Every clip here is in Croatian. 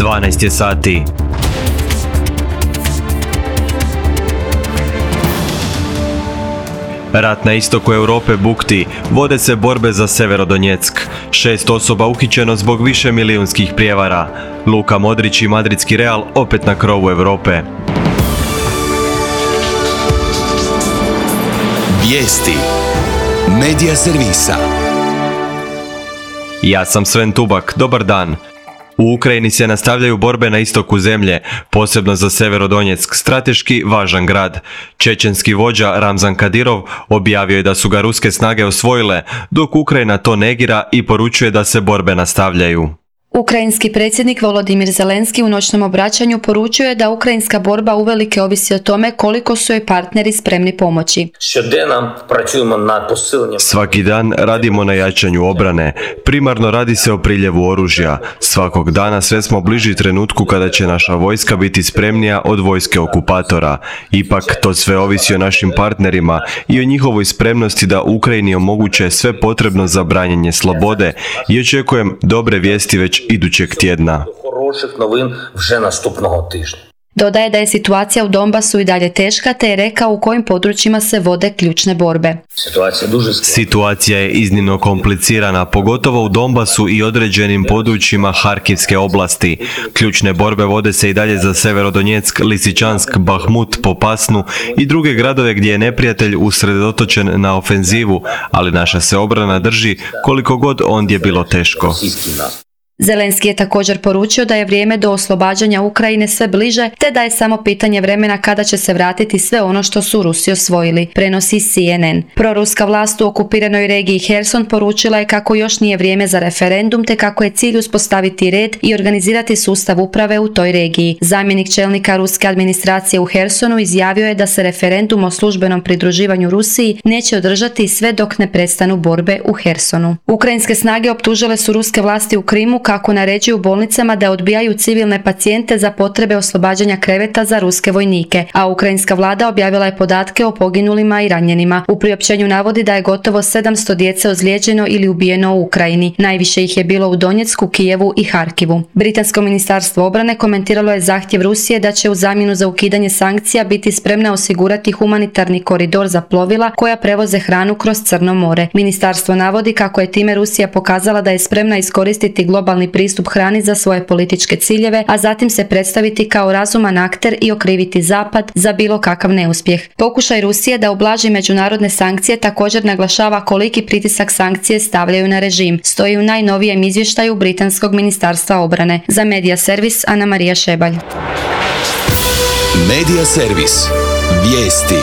12 je sati. Rat na istoku Europe bukti, vode se borbe za Severodonjeck. 6 osoba uhićeno zbog višemilijunskih prijevara. Luka Modrić i madridski Real opet na krovu Europe. Vijesti Medija servisa. Ja sam Sven Tubak, dobar dan. U Ukrajini se nastavljaju borbe na istoku zemlje, posebno za Severodonjeck, strateški važan grad. Čečenski vođa Ramzan Kadirov objavio je da su ga ruske snage osvojile, dok Ukrajina to negira i poručuje da se borbe nastavljaju. Ukrajinski predsjednik Volodimir Zelenski u noćnom obraćanju poručio je da ukrajinska borba uvelike ovisi o tome koliko su joj partneri spremni pomoći. Svaki dan radimo na jačanju obrane. Primarno radi se o priljevu oružja. Svakog dana sve smo bliži trenutku kada će naša vojska biti spremnija od vojske okupatora. Ipak to sve ovisi o našim partnerima i o njihovoj spremnosti da Ukrajini omoguće sve potrebno za branjenje slobode i očekujem dobre vijesti već idućeg tjedna. Dodaje da je situacija u Donbasu i dalje teška, te je rekao u kojim područjima se vode ključne borbe. Situacija je iznimno komplicirana, pogotovo u Donbasu i određenim područjima Harkivske oblasti. Ključne borbe vode se i dalje za Severodonjeck, Lisičansk, Bahmut, Popasnu i druge gradove gdje je neprijatelj usredotočen na ofenzivu, ali naša se obrana drži koliko god ondje bilo teško. Zelenski je također poručio da je vrijeme do oslobađanja Ukrajine sve bliže, te da je samo pitanje vremena kada će se vratiti sve ono što su Rusi osvojili, prenosi CNN. Proruska vlast u okupiranoj regiji Herson poručila je kako još nije vrijeme za referendum, te kako je cilj uspostaviti red i organizirati sustav uprave u toj regiji. Zamjenik čelnika ruske administracije u Hersonu izjavio je da se referendum o službenom pridruživanju Rusiji neće održati sve dok ne prestanu borbe u Hersonu. Ukrajinske snage optužile su ruske vlasti u Krimu kako naređuju bolnicama da odbijaju civilne pacijente za potrebe oslobađanja kreveta za ruske vojnike, a ukrajinska vlada objavila je podatke o poginulima i ranjenima. U priopćenju navodi da je gotovo 700 djece ozlijeđeno ili ubijeno u Ukrajini. Najviše ih je bilo u Donjecku, Kijevu i Harkivu. Britansko ministarstvo obrane komentiralo je zahtjev Rusije da će u zamjenu za ukidanje sankcija biti spremna osigurati humanitarni koridor za plovila koja prevoze hranu kroz Crno more. Ministarstvo navodi kako je time Rusija pokazala da je spremna iskoristiti globalni pristup hrani za svoje političke ciljeve, a zatim se predstaviti kao razuman akter i okriviti Zapad za bilo kakav neuspjeh. Pokušaj Rusije da ublaži međunarodne sankcije također naglašava koliki pritisak sankcije stavljaju na režim. Stoji u najnovijem izvještaju Britanskog ministarstva obrane. Za Medija servis Ana Marija Šebalj. Medija servis. Vijesti.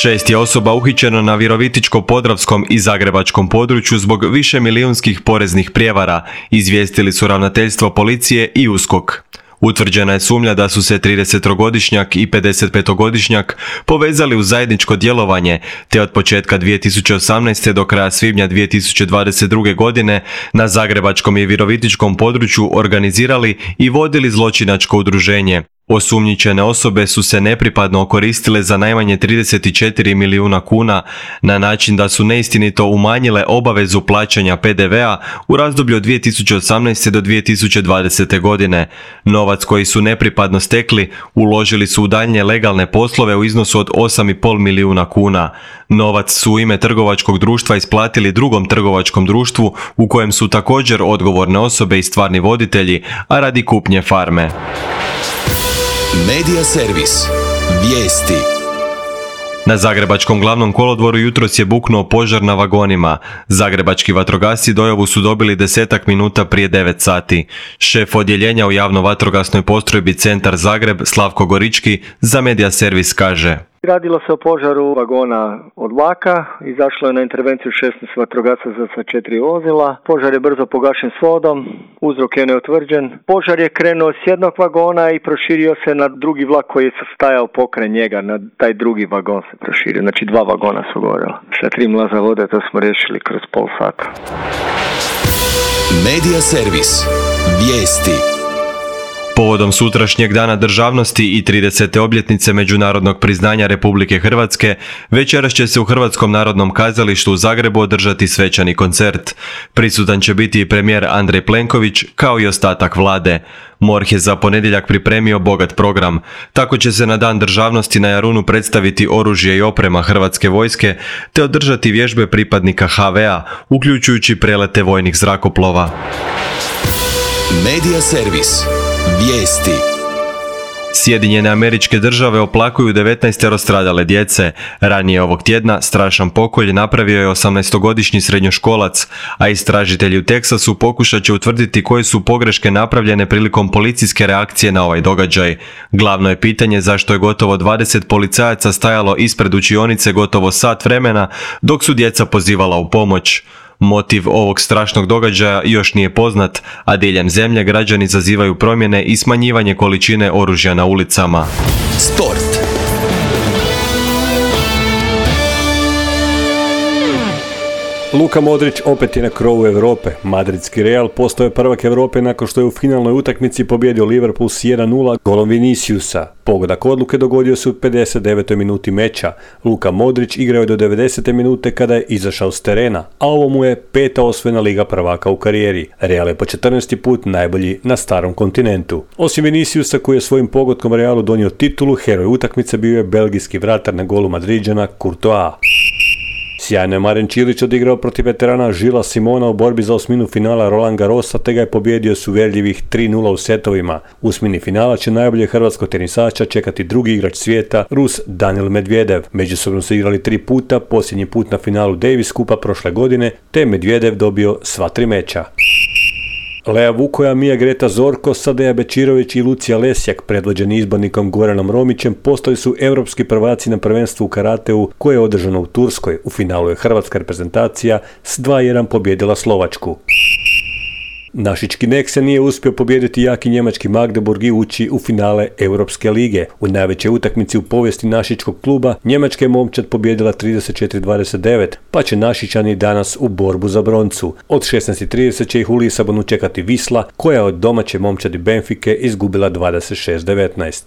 6 je osoba uhićeno na Virovitičko-podravskom i Zagrebačkom području zbog višemilijunskih poreznih prijevara, izvijestili su ravnateljstvo policije i USKOK. Utvrđena je sumnja da su se 30-godišnjak i 55-godišnjak povezali u zajedničko djelovanje, te od početka 2018. do kraja svibnja 2022. godine na Zagrebačkom i Virovitičkom području organizirali i vodili zločinačko udruženje. Osumnjičene osobe su se nepripadno okoristile za najmanje 34 milijuna kuna na način da su neistinito umanjile obavezu plaćanja PDV-a u razdoblju od 2018. do 2020. godine. Novac koji su nepripadno stekli uložili su u daljnje legalne poslove u iznosu od 8,5 milijuna kuna. Novac su u ime trgovačkog društva isplatili drugom trgovačkom društvu u kojem su također odgovorne osobe i stvarni voditelji, a radi kupnje farme. Medija servis. Vijesti. Na Zagrebačkom glavnom kolodvoru jutros je buknuo požar na vagonima. Zagrebački vatrogasci dojavu su dobili 10 minuta prije 9 sati. Šef odjeljenja u javno-vatrogasnoj postrojbi Centar Zagreb, Slavko Gorički, za Medija servis kaže: Radilo se o požaru vagona od vlaka, izašlo je na intervenciju 16 vatrogasaca sa 4 vozila, požar je brzo pogašen s vodom, uzrok je neutvrđen. Požar je krenuo s jednog vagona i proširio se na drugi vlak koji je stajao pokraj njega, na taj drugi vagon se proširio, znači 2 vagona su gorela. Sa 3 mlaza vode to smo riješili kroz pol sata. Medija servis. Vijesti. Povodom sutrašnjeg dana državnosti i 30. obljetnice međunarodnog priznanja Republike Hrvatske, večeras će se u Hrvatskom narodnom kazalištu u Zagrebu održati svečani koncert. Prisutan će biti i premijer Andrej Plenković, kao i ostatak vlade. MORH je za ponedjeljak pripremio bogat program. Tako će se na dan državnosti na Jarunu predstaviti oružje i oprema Hrvatske vojske, te održati vježbe pripadnika HV-a, uključujući prelete vojnih zrakoplova. Medija servis. Vijesti. Sjedinjene Američke Države oplakuju 19 stradale djece. Ranije ovog tjedna strašan pokolj napravio je 18-godišnji srednjoškolac, a istražitelji u Teksasu pokušat će utvrditi koje su pogreške napravljene prilikom policijske reakcije na ovaj događaj. Glavno je pitanje zašto je gotovo 20 policajaca stajalo ispred učionice gotovo sat vremena dok su djeca pozivala u pomoć. Motiv ovog strašnog događaja još nije poznat, a diljem zemlje građani zazivaju promjene i smanjivanje količine oružja na ulicama. Sport. Luka Modrić opet je na krovu Europe. Madridski Real postao je prvak Europe nakon što je u finalnoj utakmici pobjedio Liverpool s 1:0 golom Viniciusa. Pogodak odluke dogodio se u 59. minuti meča. Luka Modrić igrao je do 90. minute kada je izašao s terena, a ovo mu je 5. osvojena Liga prvaka u karijeri. Real je po 14. put najbolji na starom kontinentu. Osim Viniciusa koji je svojim pogodkom Realu donio titulu, heroj utakmice bio je belgijski vratar na golu Madriđana Courtois. Sjajno je Maren Čilić odigrao protiv veterana Žila Simona u borbi za osminu finala Roland Garrosa, te ga je pobjedio s uvjerljivih 3:0 u setovima. U osmini finala će najbolje hrvatskog tenisača čekati drugi igrač svijeta, Rus Daniil Medvedev. Međusobno su igrali 3 puta, posljednji put na finalu Davis Kupa prošle godine, te je Medvedev dobio sva 3 meča. Lea Vukoja, Mija Greta Zorko, Sadeja Bečirović i Lucija Lesjak, predvođeni izbornikom Goranom Romićem, postali su europski prvaci na prvenstvu u karateu koje je održano u Turskoj. U finalu je hrvatska reprezentacija s 2:1 pobjedila Slovačku. Našički Nek se nije uspio pobijediti jaki njemački Magdeburg i ući u finale Europske lige. U najvećoj utakmici u povijesti našičkog kluba Njemačka je momčad pobijedila 34-29, pa će Našičani danas u borbu za broncu. Od 16:30 će ih u Lisabonu čekati Wisla, koja je od domaće momčadi Benfike izgubila 26-19.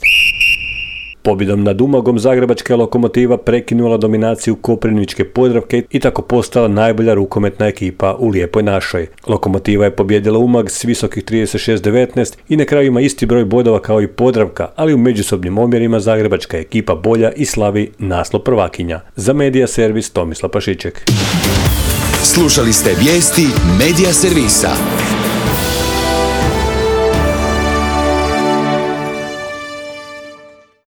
Pobjedom nad Umagom zagrebačka Lokomotiva prekinula dominaciju Koprivničke Podravke i tako postala najbolja rukometna ekipa u Lijepoj našoj. Lokomotiva je pobjedila Umag s visokih 36-19 i na kraju ima isti broj bodova kao i Podravka, ali u međusobnim omjerima zagrebačka ekipa bolja i slavi naslov prvakinja. Za Medija servis Tomislav Pašiček. Slušali ste vijesti Medija servisa.